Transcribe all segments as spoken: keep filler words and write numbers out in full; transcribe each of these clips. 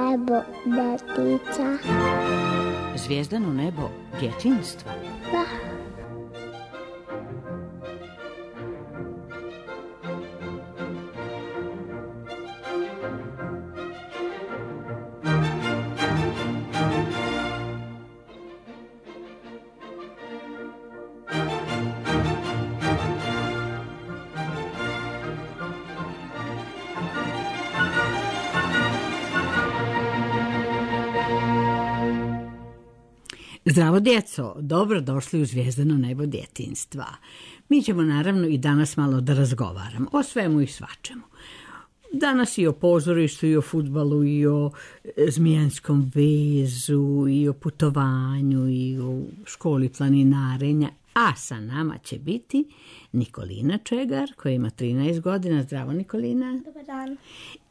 nebo djetica. Zvijezdano nebo djetinjstva. Da. Zdravo djeco, dobro došli u Zvijezdano nebo djetinjstva. Mi ćemo naravno i danas malo da razgovaramo o svemu i svačemu. Danas i o pozorištu, i o fudbalu, i o zmijanskom vezu, i o putovanju, i o školi planinarenja. A sa nama će biti Nikolina Čegar, koja ima trinaest godina. Zdravo, Nikolina. Dobar dan.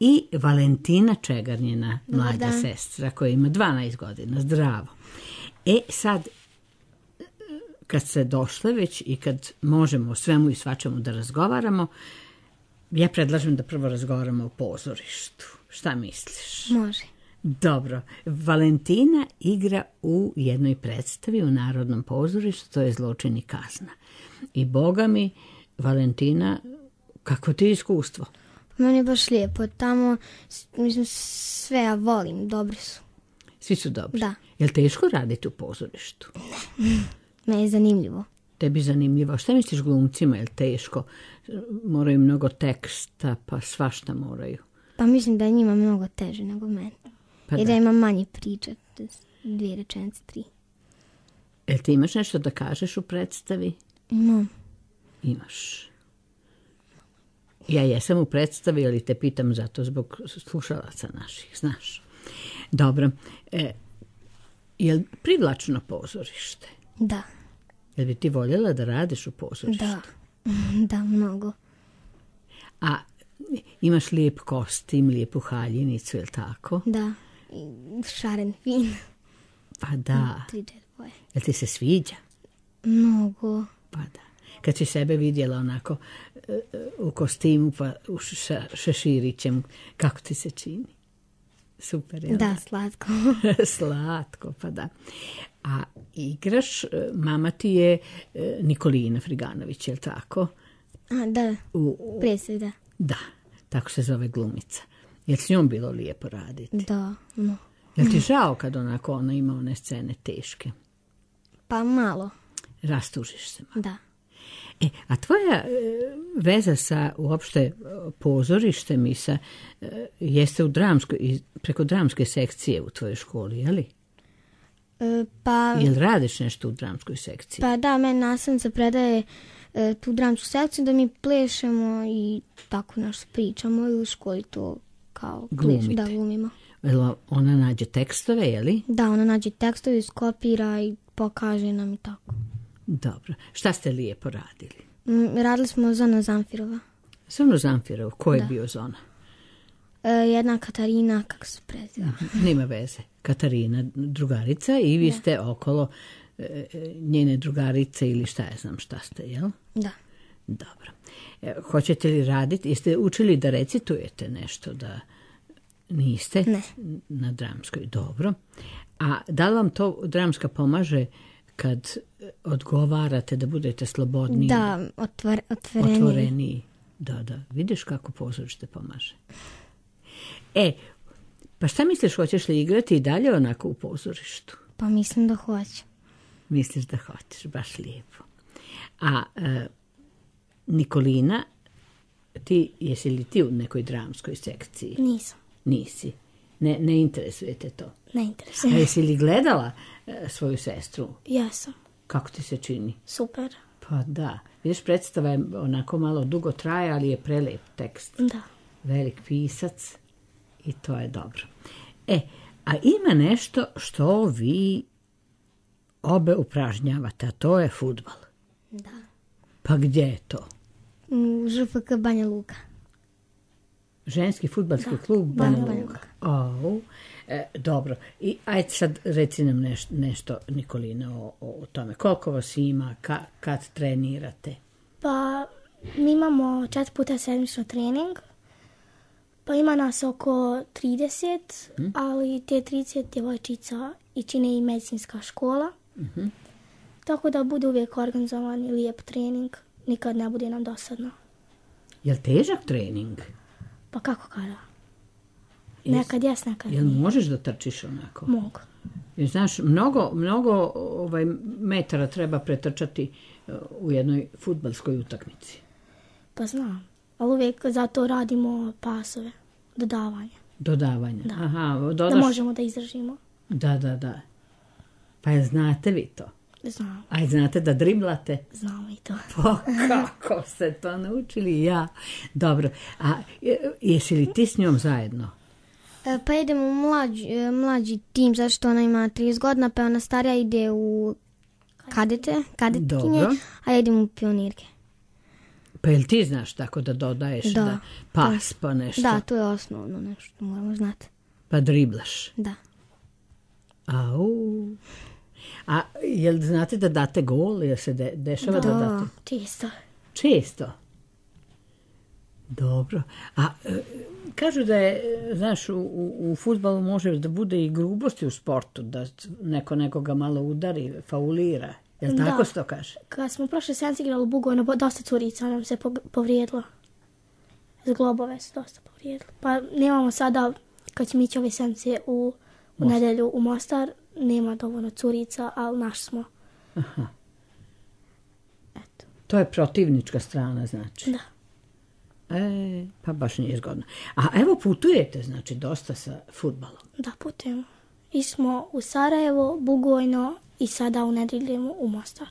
I Valentina Čegar, njena Dobar mlađa dan. sestra, koja ima dvanaest godina. Zdravo. E sad, kad ste došle već i kad možemo o svemu i svačemu da razgovaramo, ja predlažem da prvo razgovaramo o pozorištu. Šta misliš? Može. Dobro. Valentina igra u jednoj predstavi u Narodnom pozorištu, to je Zločin i kazna. I boga mi, Valentina, kako ti je iskustvo? Meni je baš lijepo. Tamo, mislim, sve ja volim. Dobri su. Svi su dobri? Da. Je li teško raditi u pozorištu? Meni je zanimljivo. Tebi zanimljivo. Šta misliš glumcima? Je li teško? Moraju mnogo teksta, pa svašta moraju. Pa mislim da je njima mnogo teže nego meni. Pa I da da. ima manje priča. Dvije rečenice, tri. Jel ti imaš nešto da kažeš u predstavi? Imam. Imaš. Ja jesam u predstavi, ali te pitam zato zbog slušalaca naših, znaš. Dobro. E, je li privlačno pozorište? Da. Jel bi ti voljela da radiš u pozorištu? Da. Da, mnogo. A imaš lijep kostim, lijepu haljinicu, je li tako? Da. I šaren, fin. Pa da. Tri, četiri boje. Jel ti se sviđa? Mnogo. Pa da. Kad si sebe vidjela onako e, u kostimu pa u ša, šeširićem, kako ti se čini? Super, jel? Da, slatko. Slatko, pa da. A igraš, mama ti je Nikolina Friganović, je li tako? A, da, U, u, presve, da. da, tako se zove glumica. Je li s njom bilo lijepo raditi? Da, no. Je li ti žao kad onako ona ima one scene teške? Pa malo, Rastužiš se malo. da. E, a tvoja e, veza sa uopšte pozorištem i sa, e, jeste u dramskoj, i preko dramske sekcije u tvojoj školi, je li? E, pa, Jel radiš nešto u dramskoj sekciji? pa da, meni nastavnica predaje e, tu dramsku sekciju da mi plešemo i tako nešto pričamo i u školi to kao Glumite. pleš, da glumimo. Jel ona nađe tekstove, je li? Da, ona nađe tekstove, skopira i pokaže nam i tako. Dobro. Šta ste lijepo radili? Mm, radili smo Zona Zamfirova. Zonu Zamfirov, ko je Da. bio Zona? E, jedna Katarina, kako se preziva? Nema veze. Katarina, drugarica i vi ste okolo e, njene drugarice ili šta ja znam šta ste, jel? Da. Dobro. E, hoćete li raditi? Jeste učili da recitujete nešto, da niste? Ne. Na dramskoj. Dobro. A da li vam to dramska pomaže kad odgovarate da budete slobodniji? Da, otvor, otvoreniji. Otvoreniji. Da, da. Vidiš kako pozorište pomaže. E, pa šta misliš, hoćeš li igrati i dalje onako u pozorištu? Pa mislim da hoće. Misliš da hoćeš, baš lijepo. A e, Nikolina, ti, jesi li ti u nekoj dramskoj sekciji? Nisam. Nisi. Ne, ne interesuje te to. Ne A interesuje. jesi li gledala e, svoju sestru? Jesam. Kako ti se čini? Super. Pa da. Vidiš, predstava je onako malo dugo traje, ali je prelep tekst. Da. Velik pisac i to je dobro. E, a ima nešto što vi obe upražnjavate, a to je fudbal. Da. Pa gdje je to? U Ž F K Banja Luka. Ženski fudbalski Da, klub da, Banja Banja Luka. O, e, dobro. I ajde sad reci nam neš, nešto, Nikolina, o, o tome. Koliko vas ima, ka, kad trenirate? Pa mi imamo četiri puta sedmično trening, Pa ima nas oko trideset, hmm? ali te trideset djevojčica i čine i medicinska škola. Mm-hmm. Tako da bude uvijek organizovan i lijep trening. Nikad ne bude nam dosadno. Je li težak trening? Pa kako kada? Nekad jes, nekad nije. Jel možeš da trčiš onako? Mogu. Jer, znaš, mnogo, mnogo ovaj, metara treba pretrčati u jednoj fudbalskoj utakmici. Pa znam. Ali uvijek zato radimo pasove. Dodavanje. Dodavanje. Da. Aha, dodaš... Da možemo da izdržimo. Da, da, da. Pa je znate vi to? Znam. A znate da driblate? Znamo i to. Pa kako ste to naučili? Ja. Dobro. A jesi li ti s njom zajedno? E, pa idemo u mlađi, mlađi tim, zato što ona ima trideset godina, pa ona starija ide u kadete, kadetkinje, dobro. A ja idem u pionirke. Pa jel ti znaš tako da dodaješ da, da pas pa nešto? Da, to je osnovno nešto, moramo znati. Pa driblaš? Da. Au. A jel znate da date gol? Jel se de, dešava da, da date? Često. Često? Dobro. A e, kažu da je, znaš, u, u, u fudbalu može da bude i grubosti u sportu, da neko nekoga malo udari, faulira. Jel da. Tako se to kaže? Kad smo prošle sedmice igrali u Bugojno, dosta curica nam se povrijedilo. Zglobove se dosta povrijedilo. Pa nemamo sada, kad ćemo ići ove sedmice u, u nedelju u Mostar, nema dovoljno curica, ali naš smo. Aha. Eto. To je protivnička strana, znači? Da. E, pa baš nije zgodno. A evo putujete, znači, dosta sa fudbalom? Da, putujemo. I smo u Sarajevo, Bugojno i sada u nedelju u Mostar.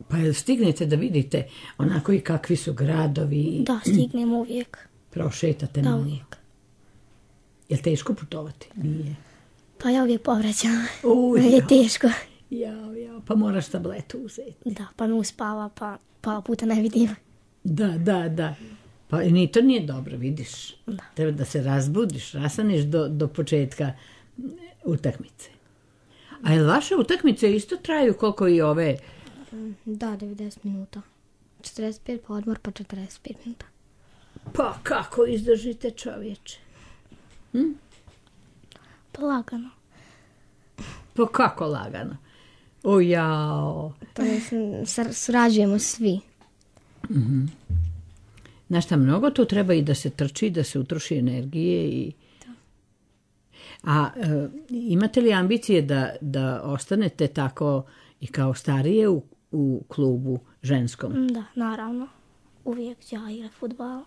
Pa jel stignete da vidite onako i kakvi su gradovi? Da, stignemo uvijek. Prošetate da, malo? Uvijek. Jel teško putovati? Nije. Pa ja uvijek povraćam. Je teško. Jao, jao, pa moraš tabletu uzeti. Da, pa me uspava, pa pola puta ne vidim. Da, da, da. Pa ni to nije dobro, vidiš. Da. Treba da se razbudiš, rastaneš do, do početka utakmice. A jel vaše utakmice isto traju koliko i ove? Da, devedeset minuta. četrdeset pet pa odmor, pa četrdeset pet minuta. Pa kako izdržite, čovječe? Hm? Pa lagano. Pa kako lagano? O jao. To je, surađujemo svi. Mm-hmm. Znaš šta, mnogo tu treba i da se trči, da se utroši energije. I... A e, imate li ambicije da, da ostanete tako i kao starije u, u klubu ženskom? Da, naravno. Uvijek ću ja igrati fudbal.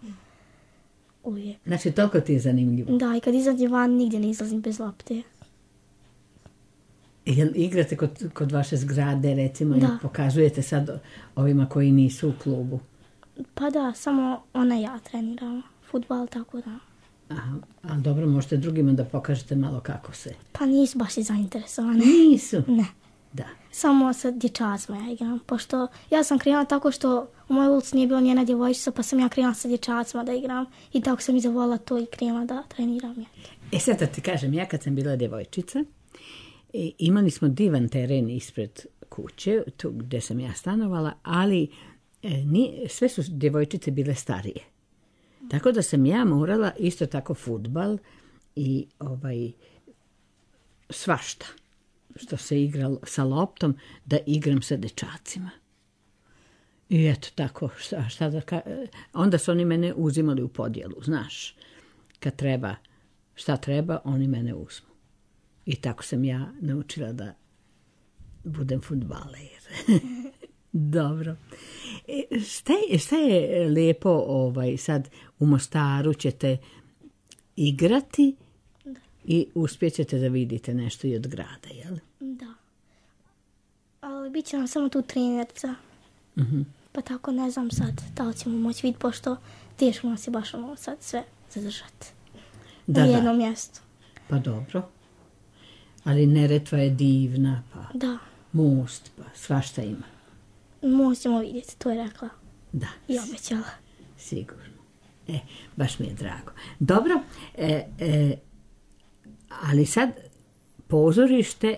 Uvijek. Znači, toliko ti je zanimljivo? Da, i kad izađem van, nigdje ne izlazim bez lopte. Jel igrate kod, kod vaše zgrade, recimo, da. I pokazujete sad ovima koji nisu u klubu? Pa da, samo ona i ja treniramo fudbal, tako da. Aha, ali dobro, možete drugima da pokažete malo kako se. Pa nisu baš i zainteresovani. Nisu? Ne. Da. Samo sa dječacima ja igram, pošto ja sam krenula tako što u mojoj ulici nije bilo njena djevojčica, pa sam ja krenula sa dječacima da igram i tako sam i zavolila to i krenula da treniram. Ja. E sad da ti kažem, ja kad sam bila djevojčica, e, imali smo divan teren ispred kuće, tu gdje sam ja stanovala, ali e, ni, sve su djevojčice bile starije. Tako da sam ja morala isto tako fudbal i ovaj svašta što se igralo sa loptom, da igram sa dečacima. I eto tako, šta, šta da ka... onda su oni mene uzimali u podjelu, znaš. Kad treba, šta treba, oni mene uzmu. I tako sam ja naučila da budem fudbaler. Dobro. E, šta, je, šta je lijepo ovaj, sad u Mostaru ćete igrati i uspjećete da vidite nešto i od grada, jel? Da. Ali bit će nam samo tu trenerca. Uh-huh. Pa tako ne znam sad da li ćemo moći vidjeti, pošto teško nas je baš ono sad sve zadržati. Da, na jednom da. mjestu. Pa dobro. Ali Neretva je divna, pa da. Most, pa svašta ima. Most ćemo vidjeti, to je rekla. Da. I obećala. Sigurno. E, baš mi je drago. Dobro, e, e, ali sad pozorište,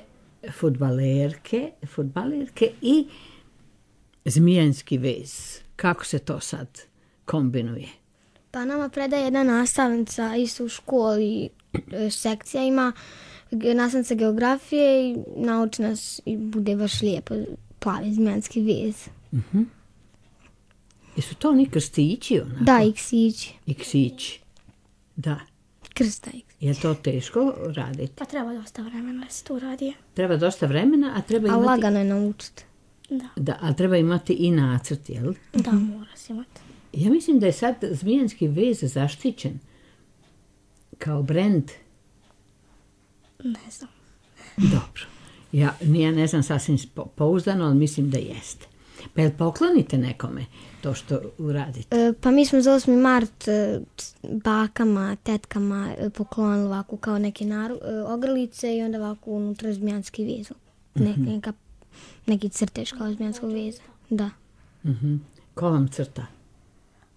fudbalerke, fudbalerke i Zmijanski vez. Kako se to sad kombinuje? Pa nama predaje jedna nastavnica isto u školi, sekcija ima nastavnica geografije i nauči nas i bude baš lijepo, plavi zmijanski vez. Uh-huh. Jesu to oni krstići? Onako? Da, iksići. Iksići, da. Krsta iksići. Je to teško raditi? Pa treba dosta vremena da se to radi. Treba dosta vremena, a treba imati... A lagano je naučiti. Da. Da, ali treba imati i nacrt, jel? Da, mora se imati. Ja mislim da je sad zmijanski vez zaštićen kao brend. Ne znam. Dobro. Ja, ja ne znam sasvim pouzdano, ali mislim da jeste. Pa jel poklonite nekome to što uradite? E, pa mi smo za osmi mart e, bakama, tetkama e, poklonili ovako kao neke naru, e, ogrlice i onda ovako unutra zmijanski vez. Ne, Mm-hmm. neka, neki crtež kao zmijanskog veza. Da. Mm-hmm. Ko vam crta?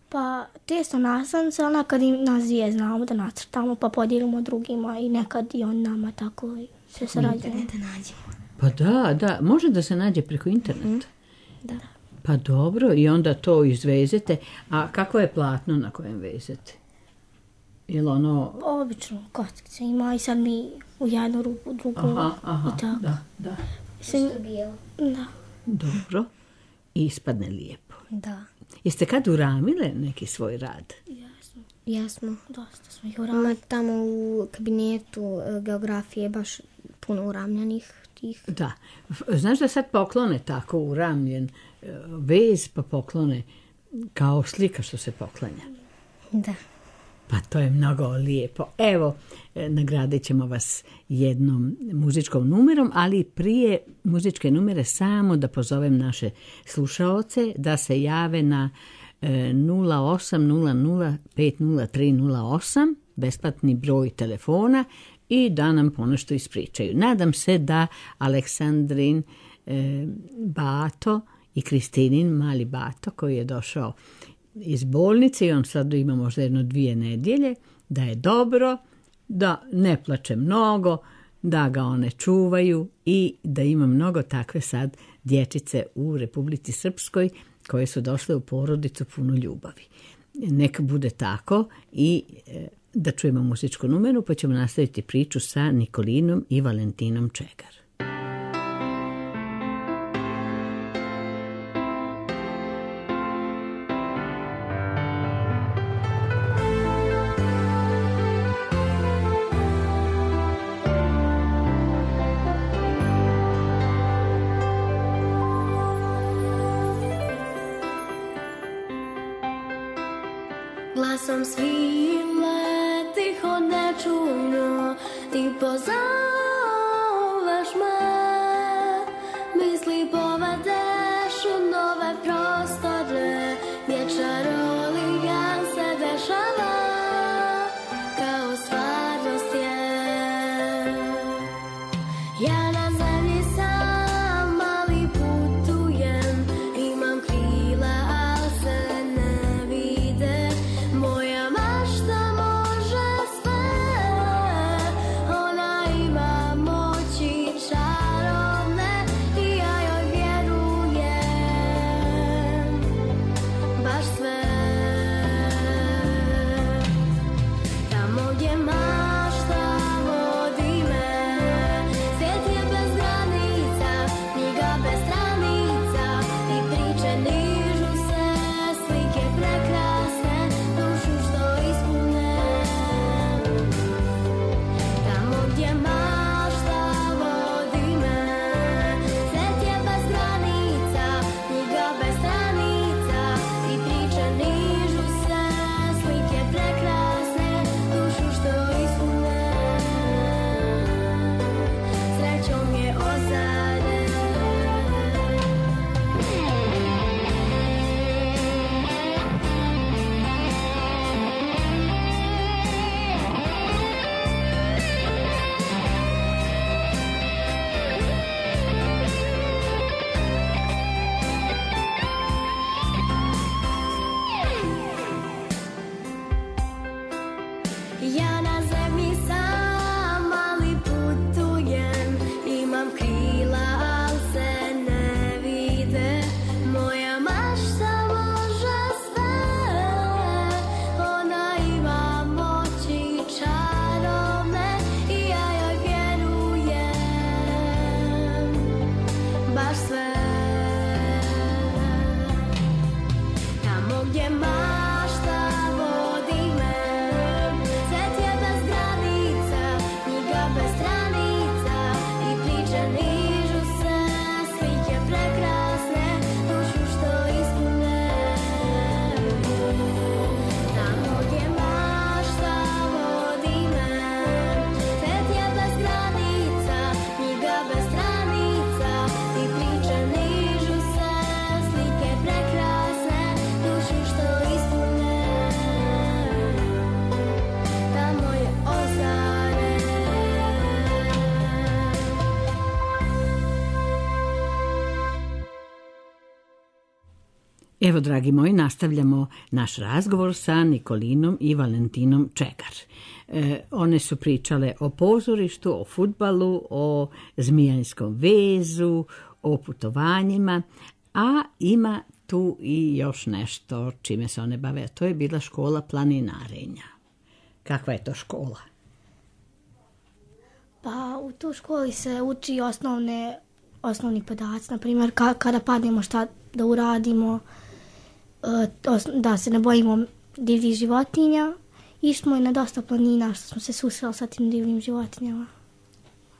Pa testo nastavnice, ona kad im nas dvije znamo da nacrtamo, pa podijelimo drugima i nekad i on nama tako i sve sarađujemo. Da nađemo. Pa da, da, može da se nađe preko interneta. Da. Pa dobro, i onda to izvezete. A kako je platno na kojem vezete? Jel ono... Obično kockice ima i sad mi u jednu ruku, u drugu Aha, aha, i tako. da, da. Mislim, da. Dobro. I ispadne lijepo. Da. Jeste kad uramile neki svoj rad? Jesmo. Jesmo. Dosta smo ih uradili. Ima tamo u kabinetu e, geografije baš puno uramljenih tih. Da. Znaš da sad poklone tako uramljen e, vez, pa poklone kao slika što se poklanja? Da. Pa to je mnogo lijepo. Evo, e, nagradit ćemo vas jednom muzičkom numerom, ali prije muzičke numere samo da pozovem naše slušaoce da se jave na e, nula osam nula nula pet nula tri nula osam, besplatni broj telefona, i da nam ponešto ispričaju. Nadam se da Aleksandrin e, Bato i Kristinin mali Bato, koji je došao iz bolnice i on sad ima možda jedno dvije nedjelje, da je dobro, da ne plače mnogo, da ga one čuvaju i da ima mnogo takve sad dječice u Republici Srpskoj koje su došle u porodicu puno ljubavi. Neka bude tako i e, da čujemo muzičku numeru, pa ćemo nastaviti priču sa Nikolinom i Valentinom Čegar. Glasom svile tiho nečujno ti pozoveš me, misli povedeš u nove prostore gdje čarolija se dešava kao stvarnost je. Ja na zemlji sam, ali putujem, imam krila, al se ne vide. Moja mašta može sve, ona ima moći čarovne i ja joj vjerujem, baš sve. gdje mašta vodi me. Svet je bez granica, knjiga bez stranica i priče nižu se, slike prekrasne, dušu što ispune. Tamo gdje mašta vodi me. Svet je bez granica, knjiga bez stranica i priče nižu se, slike prekrasne, dušu što ispune. Tamo je ozare. Evo, dragi moji, nastavljamo naš razgovor sa Nikolinom i Valentinom Čegar. E, one su pričale o pozorištu, o fudbalu, o zmijanskom vezu, o putovanjima, a ima tu i još nešto čime se one bave, a to je bila škola planinarenja. Kakva je to škola? Pa u tu školi se uči osnovne, osnovni podaci, na primjer ka, kada padnemo šta da uradimo, e, os- da se ne bojimo divljih životinja. Išli smo i na dosta planina što smo se susreli sa tim divljim životinjama.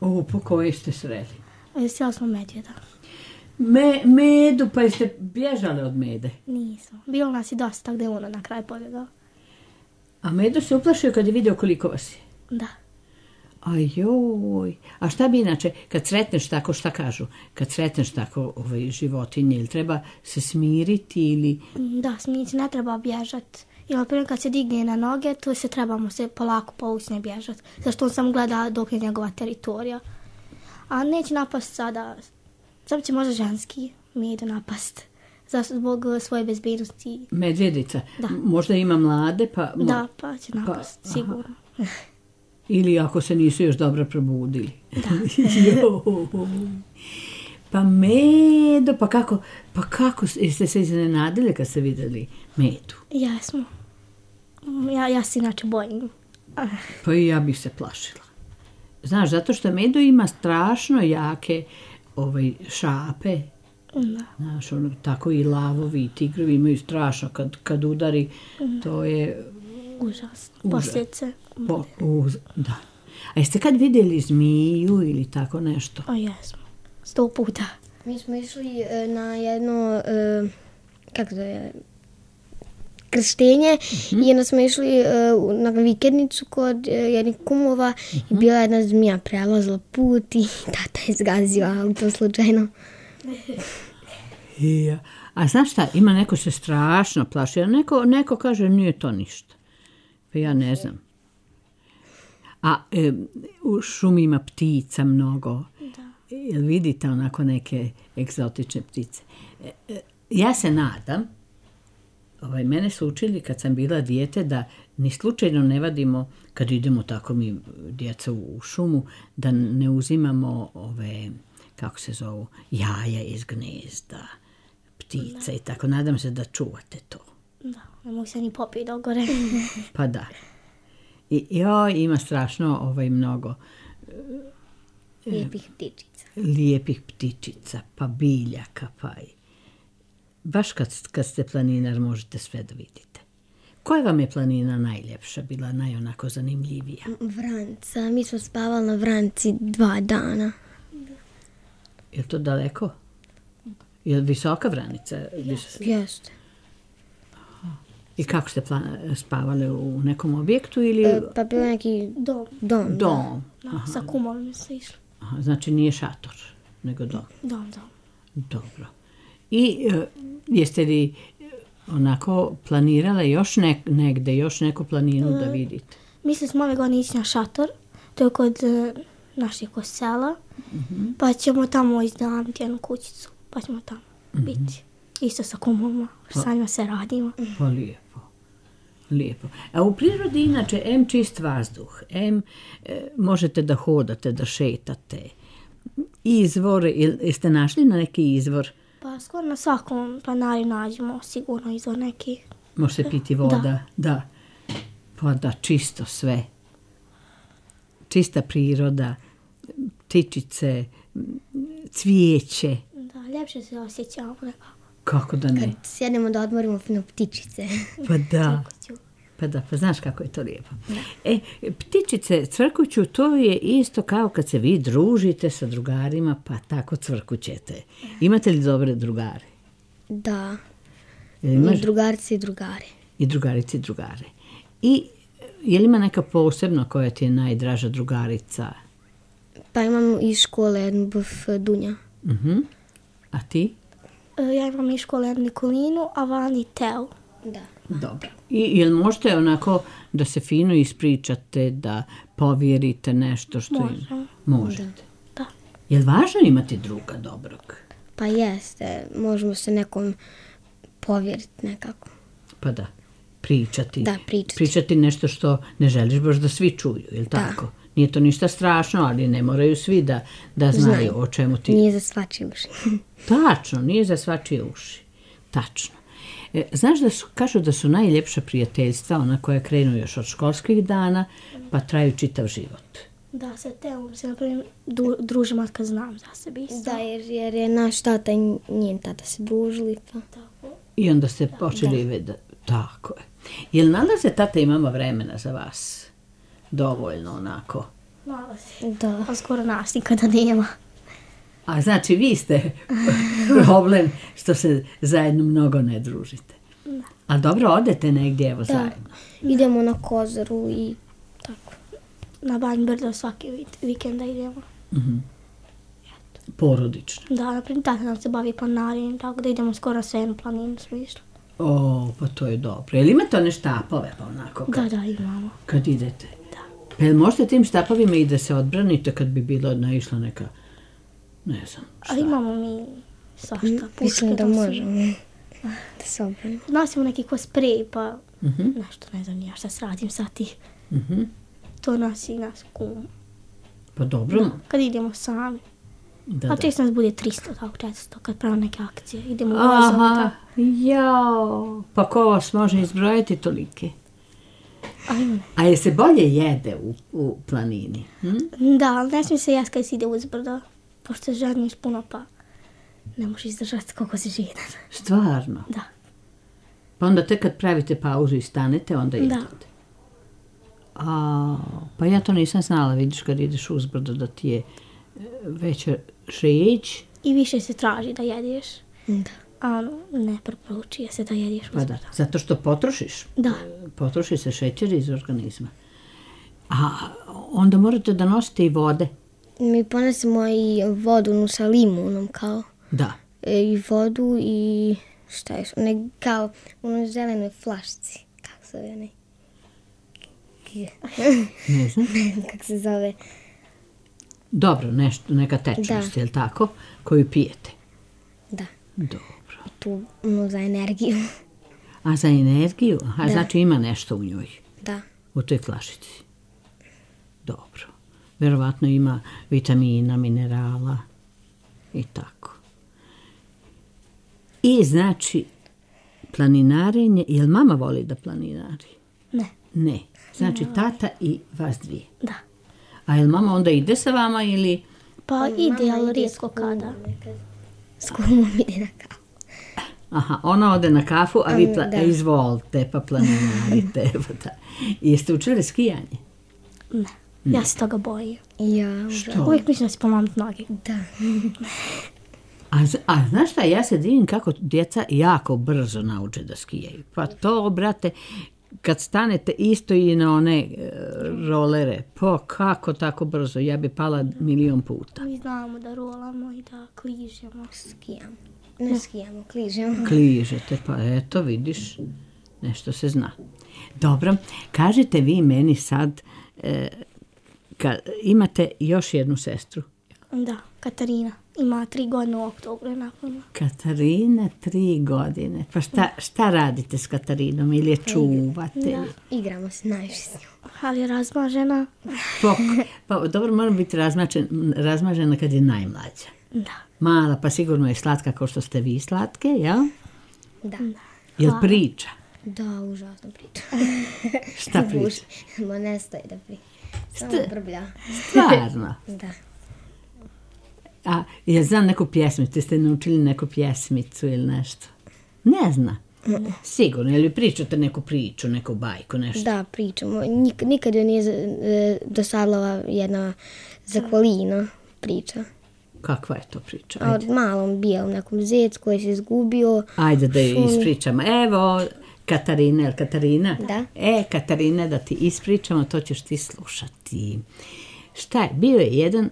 O, po koje ste sreli? E, Sjeli smo medvjeda. Me, medu, pa jeste bježale od mede? Nismo. Bilo nas je dosta, tako da je ono na kraj pobjegao. A medu se uplašio kad je vidio koliko vas je? Da. Ajoj, a šta bi inače, kad sretneš tako, šta kažu, kad sretneš tako ovaj, životinje, ili treba se smiriti ili... Da, smijeti, ne treba bježati. I na primjer kad se digne na noge, tu se trebamo se polako povući, ne bježati. Zašto on samo gleda dok je njegova teritorija. A neće napast sada, samo će možda ženski medu napast. Zašto zbog svoje bezbednosti. Medvjedica, Da. možda ima mlade, pa... mo- Da, pa će napast, aha. sigurno. Ili ako se nisu još dobro probudili. Da. Joj. Pa medo, pa kako, pa kako ste se iznenadili kad ste vidjeli medu? Jesmo. Ja, ja se inače bojim. Pa i ja bih se plašila. Znaš, zato što medo ima strašno jake ovaj, šape. Da. Znaš, ono, tako i lavovi i tigrovi imaju strašno. Kad, kad udari, to je... Užas. Užas. Posljedice. Po, uz, da. A jeste kad vidjeli zmiju ili tako nešto? A jesmo. Sto puta. Mi smo išli e, na jedno, e, kako to je, krštenje i onda smo išli e, u- na vikendicu kod e, jednih kumova i bila jedna zmija prelazila put i tata je zgazio auto slučajno. Ja. A znaš šta, ima neko se strašno plaši, a neko, neko kaže nije to ništa. Pa ja ne znam. A e, u šumi ima ptica mnogo. Da. Jel vidite onako neke egzotične ptice? E, e, ja se nadam, ovaj, mene su učili kad sam bila dijete da ni slučajno ne vadimo, kad idemo tako mi djeca u, u šumu, da ne uzimamo ove, kako se zovu, jaja iz gnezda, ptica i tako. Nadam se da čuvate to. Da, ne mogu se ni popiti dogore. Pa da. I joj, ima strašno ovaj, mnogo Lijepih ptičica. lijepih ptičica, pa biljaka, pa i... Baš kad, kad ste planinar možete sve da vidite. Koja vam je planina najljepša, bila najonako zanimljivija? Vranca, mi smo spavali na Vranci dva dana. Je li to daleko? Je li visoka Vranica? Vis- Jeste. I kako ste pla- spavali u nekom objektu ili... E, pa bio je neki Dom. dom. da. Dom. Da, sa kumovima se išli. Aha, znači nije šator, nego dom. Dom, dom. Dobro. I e, jeste li e, onako planirale još nek, negde, još neku planinu da vidite? Mislili smo ove godine ići na šator. To je kod e, našeg sela. Pa ćemo tamo iznajmiti jednu kućicu. Pa ćemo tamo biti. Isto sa kumovima. Sa njima se radimo. Pa lijepo. Lijepo. A u prirodi inače, em čist vazduh, em e, možete da hodate, da šetate. Izvor, jel- jeste našli na neki izvor? Pa skoro na svakom planari nađemo sigurno izvor neki. Može se piti voda? Da. Pa da, čisto sve. Čista priroda, ptičice, cvijeće. Da, ljepše se osjećamo nekako. Kako da ne? Kad sjedemo da odmorimo fino ptičice. Pa da. Pa da, pa znaš kako je to lijepo. E, ptičice, cvrkuću, to je isto kao kad se vi družite sa drugarima, pa tako cvrkućete. Imate li dobre drugare? Da, Jel imaš? i drugarci i drugare. I drugarici i drugare. I je li ima neka posebna koja ti je najdraža drugarica? Pa imam iz škole jednu buf Dunja. Mhm. A ti? E, Ja imam iz škole jednu Nikolinu, a Vani Teo. Da. Dobro. I jel možete onako da se fino ispričate, da povjerite nešto što Možemo. im... Možete. Da. Jel važno imati druga dobrog? Pa jeste, možemo se nekom povjeriti nekako. Pa da, pričati. Da, pričati. Pričati nešto što ne želiš baš da svi čuju, jel tako? Nije to ništa strašno, ali ne moraju svi da, da znaju Znaju. o čemu ti... Nije za svačije uši. Tačno, nije za svačije uši. Tačno. E, znaš da su, kažu da su najljepša prijateljstva ona koja krenu još od školskih dana, pa traju čitav život. Da, sa Teom se, na primjer, du- družim od kad znam za sebe isto. Da, jer, jer je naš tata i njen tata se družili. Pa. Tako. I onda ste počeli vidjeti. Tako je. Jel nalaze tata i mama vremena za vas? Dovoljno onako. Malo se. Da. A skoro nas nikada nema. A znači vi ste problem što se zajedno mnogo ne družite. A dobro, odete negdje evo zajedno. Idemo na Kozaru i tako. Na Banj Brdo svaki vik- vikenda idemo. Porodično. Da, na primjer, tata nam se bavi planinarenjem, tako da idemo skoro sve jednu planinu smo išli. O, pa to je dobro. Jel imate one štapove pa onako kad, Da, da, imamo. kad idete? Da. Pa jel možete tim štapovima i da se odbranite kad bi bilo naišla neka, ne znam, šta? Ali imamo mi svašta. Mislim puške, da to su- možemo da se obranimo. Nosimo neki ko sprej, pa Mhm. nešto, ne znam, ja šta se radim sa ti. Mhm. To nosi nas kum. Pa dobro. Kad idemo sami. Da, A da. često nas bude tristo, tako često, kad pravimo neke akcije. Idemo u vozom, Aha, tako. jao, pa ko vas može izbrojati tolike? Ali ne. A je se bolje jede u, u planini? Hm? Da, ali ne smije se jesti kad se ide uzbrdo, pošto se žadniš puno, pa ne možeš izdržati koliko si žedan. Stvarno? Da. Pa onda tek kad pravite pauzu i stanete, onda Da. jedete? A, pa ja to nisam znala, vidiš kad ideš uzbrdo da ti je e, veća žeć, I više se traži da jedeš, Da. a ono, ne preporučuje se da jedeš pa da, uzbrdo. zato što potrošiš. Da. E, Potroši se šećer iz organizma. A onda morate da nosite i vode. Mi ponesemo i vodu nu sa limunom kao. Da. E, I vodu i šta još, one kao u onoj zelenoj flašci. Kako se zove onaj? Ne znam. Ne znam kako se zove. Dobro, nešto, neka tečnost, Da. je li tako? Koju pijete. Da, Dobro. tu ono za energiju. A za energiju? Aha, Da. znači ima nešto u njoj, Da. u toj flašici. Dobro. Verovatno ima vitamina, minerala i tako. I znači, planinarenje, jel mama voli da planinari? Ne, Ne. Znači tata i vas dvije. da. A jel mama onda ide sa vama ili... Pa ide, ali rijetko kada. S kumom ide na kafu. Aha, ona ode na kafu, a vi pla- Da. izvolite, pa planinarite. Pa da. I jeste učili skijanje? Ne, ja se toga bojim. Ja, Što? Uvijek mislim da se pomamit noge. da. A, z- a znaš šta, ja se divim kako djeca jako brzo nauče da skijaju. Pa to, brate, kad stanete isto i na one e, rolere, pa kako tako brzo, ja bi pala milion puta. Mi znamo da rolamo i da kližemo. Skijamo. Ne skijamo, kližemo. Kližete, pa eto, vidiš, nešto se zna. Dobro, kažete vi meni sad, e, ka, imate još jednu sestru. Da, Katarina. Ima tri godine u oktobru je napunila. Katarina, tri godine. Pa šta, šta radite s Katarinom? Ili je čuvate? ili- Igramo se najviše s njom. Ali je razmažena. Pa, pa dobro, mora biti razmažen, razmažena kad je najmlađa. Da. Mala, pa sigurno je slatka kao što ste vi slatke, jel? Da. Jel priča? Da, užasno priča. Šta priča? Ma ne stoji da priča. Samo brblja. Stvarno. Da. A ja znam neku pjesmicu, ste naučili neku pjesmicu ili nešto? Ne zna. Sigurno, ili pričate neku priču, neku bajku, nešto? Da, pričamo. Nik, nikad joj nije e, dosadila jedna Zakolina priča. Kakva je to priča? A Ajde, od malom bijelom nekom zec koji se izgubio. Ajde da je šumi. ispričamo. Evo, Katarina, jel Katarina? Da. E, Katarina, da ti ispričamo, to ćeš ti slušati. Šta je? Bio je jedan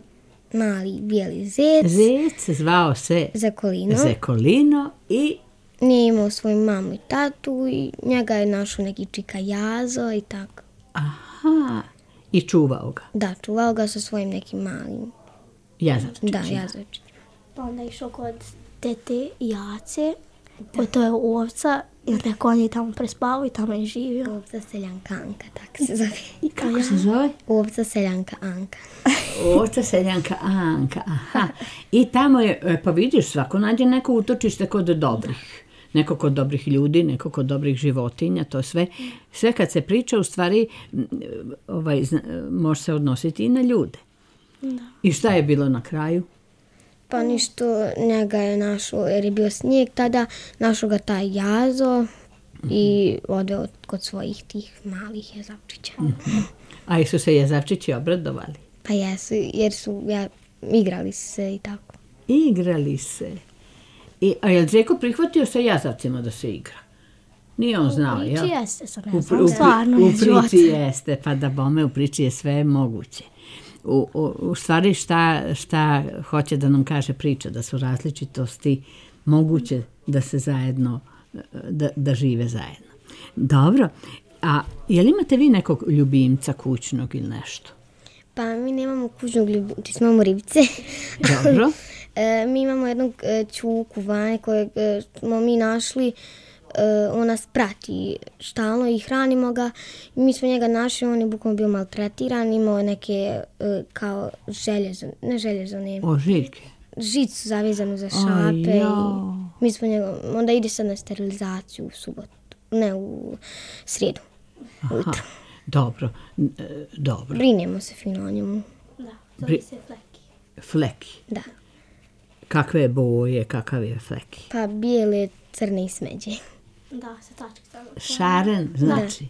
Mali bijeli zec, zec, zvao se Zakolino. Zekolino i Nije imao svoju mamu i tatu i njega je našao neki čika Jazo i tako. aha, i čuvao ga. Da, čuvao ga sa svojim nekim malim. Jazavčićima. Da, Jazovčić. Pa onda je išao kod tete Jace, kod to je ovca, i rekao on je tamo prespavao i tamo je živio. Ovca seljanka Anka, tako se zove. Kako se zove? Ovca seljanka Anka. Ovca seljanka Anka, aha. I tamo je, e, pa vidiš, svako nađe neko utočište kod dobrih. Neko kod dobrih ljudi, neko kod dobrih životinja, to sve. Sve kad se priča, u stvari, m, ovaj, zna- može se odnositi i na ljude. Da. I šta je bilo na kraju? Pa ništo, njega je našao, jer je bio snijeg tada, našao ga taj Jazo i odeo kod svojih tih malih jezavčića. A i su se jezavčići obradovali? Pa jesu, jer su ja, igrali su se i tako. Igrali se. I, a je li Žeko prihvatio sa jazavcima da se igra? Nije on znao, U jel? priči jeste, sad U, ne pri- znam, u, pri- stvarno u je život. priči jeste, pa da bome u priči je sve moguće. U, u, u stvari šta, šta hoće da nam kaže priča, da su različitosti moguće da se zajedno, da, da žive zajedno. Dobro, a je li imate vi nekog ljubimca kućnog ili nešto? Pa mi nemamo kućnog ljubimca, imamo ribice. Dobro. E, mi imamo jednog e, čuku Vane kojeg e, smo mi našli, e, on nas prati stalno i hranimo ga. I mi smo njega našli, on je bukvalno bio maltretiran, imao je neke e, kao željezo, ne željezo, ne, O, Žiljke. žicu zavezanu za Aj, šape. jao. I mi smo njega, onda ide sad na sterilizaciju u subotu, ne u srijedu. Aha, dobro, n- e, dobro. Brinemo se fino o njemu. Da, Bri- zove se Fleki. Fleki. Da. Kakve je boje, kakav je Fleki? Pa bijele, crne i smeđe. Da, sa tačkicama. Šaren, znači.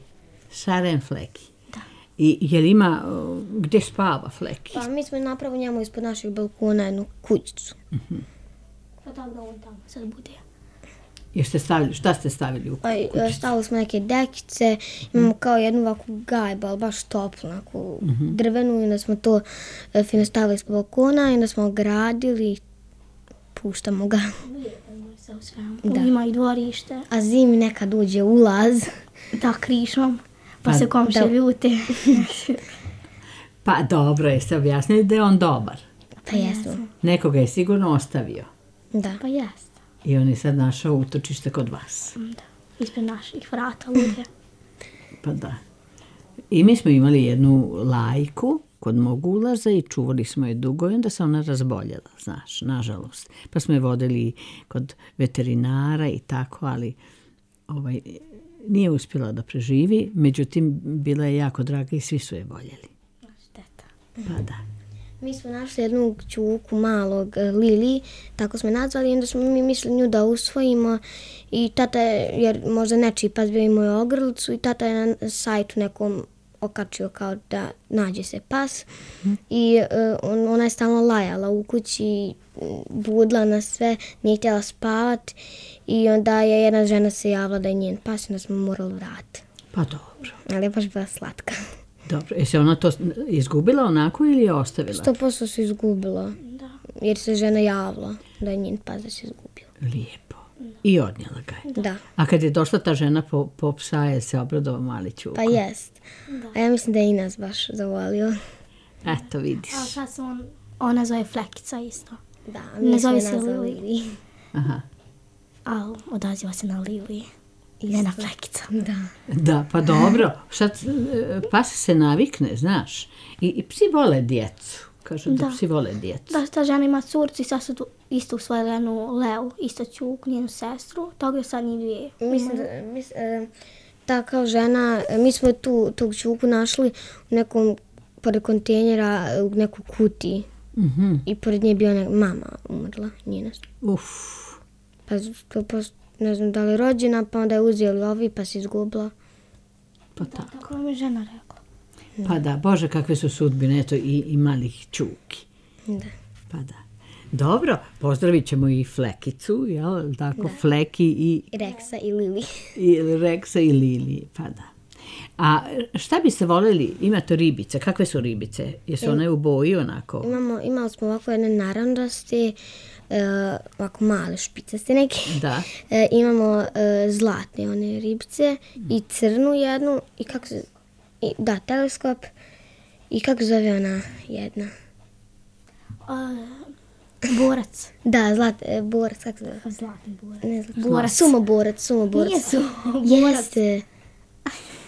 Šaren Fleki. Da. I je li ima, o, gdje spava Fleki? Pa mi smo napravili njemu ispod našeg balkona jednu kućicu. Pa tako da on tamo sad bude. Jeste stavili, šta ste stavili u Pa e, kućicu? stavili smo neke dekice, imamo kao jednu ovakvu gajbu, ali baš toplu, onako drvenu, i onda smo to e, fino stavili ispod balkona i onda smo ogradili i puštamo ga. Se u svemu. Da. Ima i dvorište, A zimi nekad uđe ulaz. da krišom, pa, Pa se komšije da. ljute. Pa dobro, jeste objasnili da je on dobar. Pa jesmo. Nekoga je sigurno ostavio. Da. Pa jeste. I on je sad našao utočište kod vas. Da. Ispred naših vrata lude. Pa da. I mi smo imali jednu lajku kod mog ulaza i čuvali smo je dugo i onda se ona razboljela, znaš, nažalost. Pa smo je vodili kod veterinara i tako, ali ovaj, nije uspjela da preživi, međutim, bila je jako draga i svi su je voljeli. Šteta. Pa da. Mi smo našli jednu čuku malog, e, Lili, tako smo je nazvali, i onda smo mi mislili nju da usvojimo i tata je, jer možda nečiji pas bio imao je ogrlicu i tata je na sajtu nekom okačio kao da nađe se pas i e, on, ona je stalno lajala u kući, budla na sve, nije htjela spavat i onda je jedna žena se javila da je njen pas i onda smo morali vratiti. Pa dobro. Ali je baš bila slatka. Dobro. Je se ona to izgubila onako ili je ostavila? Sto posto se izgubila, Da. jer se žena javila da je njen pas da se izgubio. Lijepo. I odnijela ga je. Da. A kad je došla ta žena po, po psa, je se obradovao mali Ćuko? Pa jest. A ja mislim da je i nas baš zavolio. Eto, vidiš. A sad se on, ona zove Flekica isto. Da, Ne mi smo zove je se nazvali Lili. Lili. Aha. Ali odaziva se na Lili. Ne na Flekica. Da. Da, pa dobro. Sad e, pas se navikne, znaš. I, i psi vole djecu. Kažu da, Da. psi vole djecu. Da, ta žena ima curcu i sad su tu isto usvojili jednu Leu, isto Ćuk, njenu sestru. Toga je sad njih dvije. Mislim da, mis, e, ta kao žena, e, mi smo tu tog Ćuku našli u nekom, pored kontejnera, e, u nekoj kutiji. Mhm. I pored nje je bila neka mama umrla, njena. Uf. Pa to posto ne znam da li rođena, pa onda je uzeli ovi pa se izgubila. Pa tako. Tako mi je žena rekla. Pa da, Bože, kakve su sudbine, eto i, i malih čuki. Da. Pa da. Dobro, pozdravit ćemo i Flekicu, jel tako? Fleki i, Reksa i Lili. i Reksa i Lili, pa da. A šta biste voljeli, imate ribice, kakve su ribice? Jesu one u boji onako? Imamo, imali smo ovako jedne naranđaste, uh, ovako male špicaste neke. Da. E, imamo uh, zlatne one ribice i crnu jednu i kako se, i, da, teleskop i kako se zove ona jedna? A, borac. Da, zlat, e, borac, kako se zove? Zlatni borac. Ne znam. Borac. Sumoborac, sumoborac. Nije su. Jeste.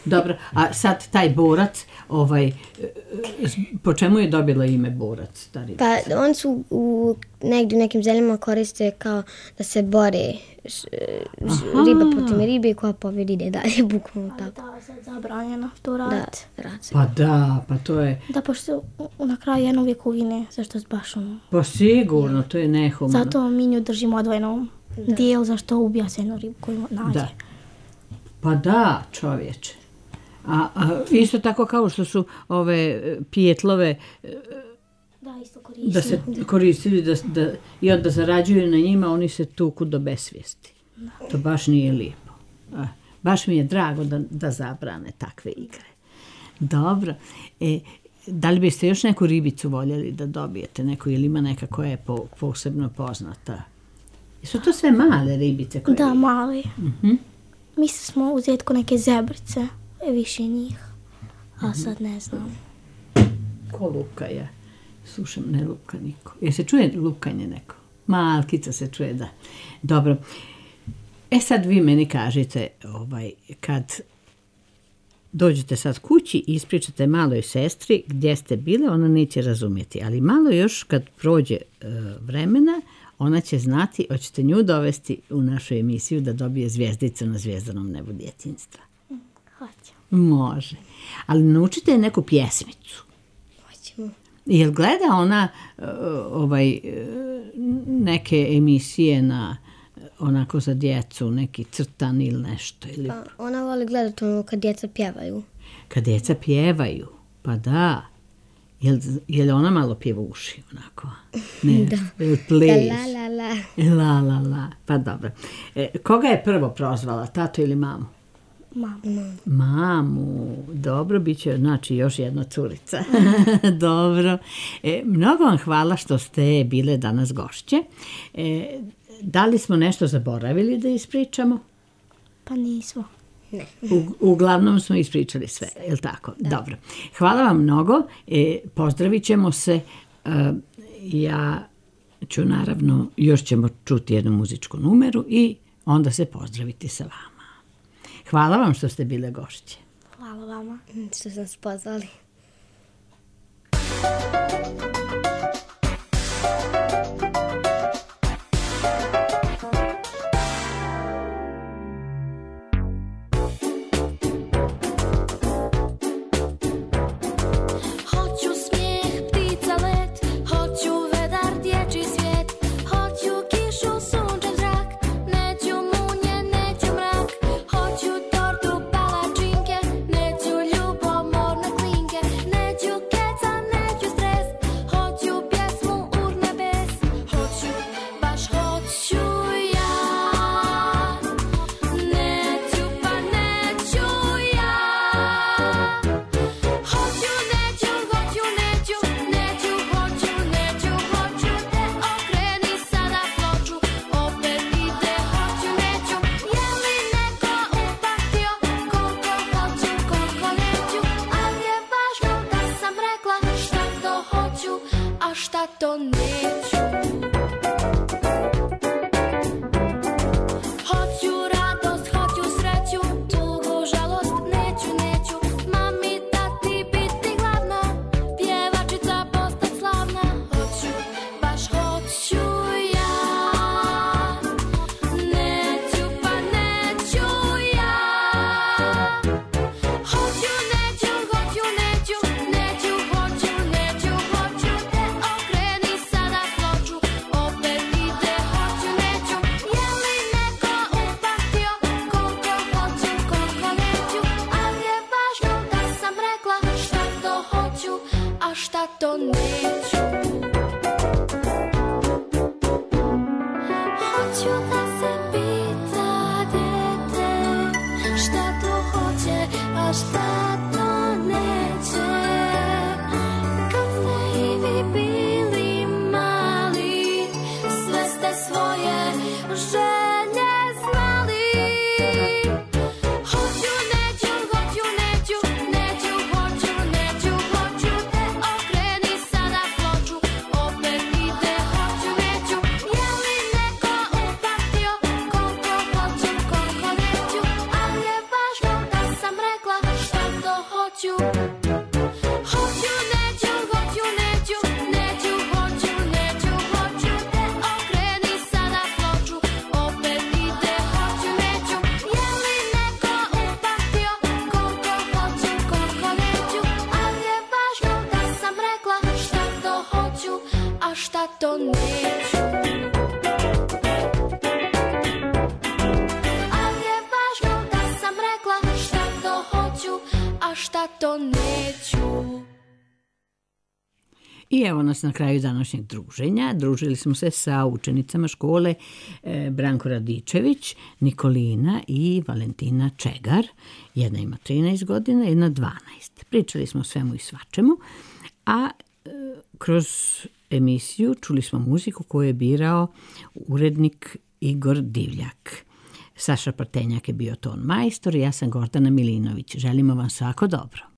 Dobro, a sad taj borac, ovaj, po čemu je dobila ime borac, ta ribica? Pa oni su u, negdje u nekim zemljama koriste kao da se bore š, š, riba protiv ribe koja pobjedi ide dalje, bukvalno Ali tako. da, sad zabranjeno to Da, raditi. rad se. Pa da, pa to je, Da, pošto u- na kraju jedno uvijek ugine, zašto baš ono. pa sigurno, to je nehumano. Zato mi nju držimo odvojenom dijelu zašto ubija se jednu ribu koju nađe. Da. Pa da, čovječe. A, a isto tako kao što su ove e, pijetlove Da, isto koristi. da se koristili da, da, i onda zarađuju na njima, oni se tuku do besvijesti. To baš nije lijepo. A, baš mi je drago da, da zabrane takve igre. Dobro. E, da li biste još neku ribicu voljeli da dobijete? Neku, ili ima neka koja je po, posebno poznata? Su to sve male ribice? Koje... Da, mali. Mhm. Mislili smo uzeti ko neke zebrice, je više njih. A sad ne znam. Ko luka je? Slušam, ne luka niko. Je se čuje lukanje neko? Malkica se čuje, da. Dobro. E sad vi meni kažete, ovaj, kad dođete sad kući i ispričate maloj sestri gdje ste bile, ona neće razumjeti. Ali malo još kad prođe e, vremena, ona će znati, hoćete nju dovesti u našu emisiju da dobije zvjezdicu na zvjezdanom nebu djetinjstva. Hoće. Može. Ali naučite je neku pjesmicu. Hoćemo. Jel gleda ona uh, ovaj, uh, neke emisije na onako za djecu, neki crtan ili nešto? Ili Pa ona voli gledati ono kad djeca pjevaju. kad djeca pjevaju? Pa da. Jel, jel ona malo pjevuši onako? Ne, Da. jel pleš? La la la. La, la, la. Pa dobro. E, koga je prvo prozvala, tato ili mamu? Mama. Mamu, dobro, bit će znači još jedna curica. Dobro. E, mnogo vam hvala što ste bile danas gošće. E, da li smo nešto zaboravili da ispričamo? Pa nismo. U, uglavnom smo ispričali sve, je li tako? Dobro. Hvala vam mnogo. E, pozdravit ćemo se. E, ja ću naravno, još ćemo čuti jednu muzičku numeru i onda se pozdraviti sa vama. Hvala vam što ste bile gošće. Hvala vama. Što sam se pozvali. Hoću smijeh ptica let, hoću vedar dječji svijet, hoću kišu, sunčev zrak, neću munje, neću mrak, hoću tortu, palačinke, neću ljubomorne klinke, neću keca, neću stres, a šta to neće. Kad ste i vi bili mali, sve ste svoje želje znali. Hoću, neću, hoću, neću, neću, hoću, neću, hoću, te okreni sada ploču, opet ide hoću, neću. Je li neko upamtio koliko hoću, koliko neću, ali je važno da sam rekla šta to hoću. Hoću, neću, hoću, neću, neću, hoću, neću, hoću, te okreni sada ploču, opet ide hoću, neću. Je li neko upamtio koliko hoću, koliko neću, ali je važno da sam rekla šta to hoću, a šta to neću. Ali je važno da sam rekla šta to hoću, a šta to neću. I evo nas na kraju današnjeg druženja. Družili smo se sa učenicama škole e, Branko Radičević, Nikolina i Valentina Čegar. Jedna ima trinaest godina, jedna dvanaest. Pričali smo o svemu i svačemu, a e, kroz emisiju čuli smo muziku koju je birao urednik Igor Divljak. Saša Partenjak je bio ton majstor i ja sam Gordana Milinović. Želimo vam svako dobro.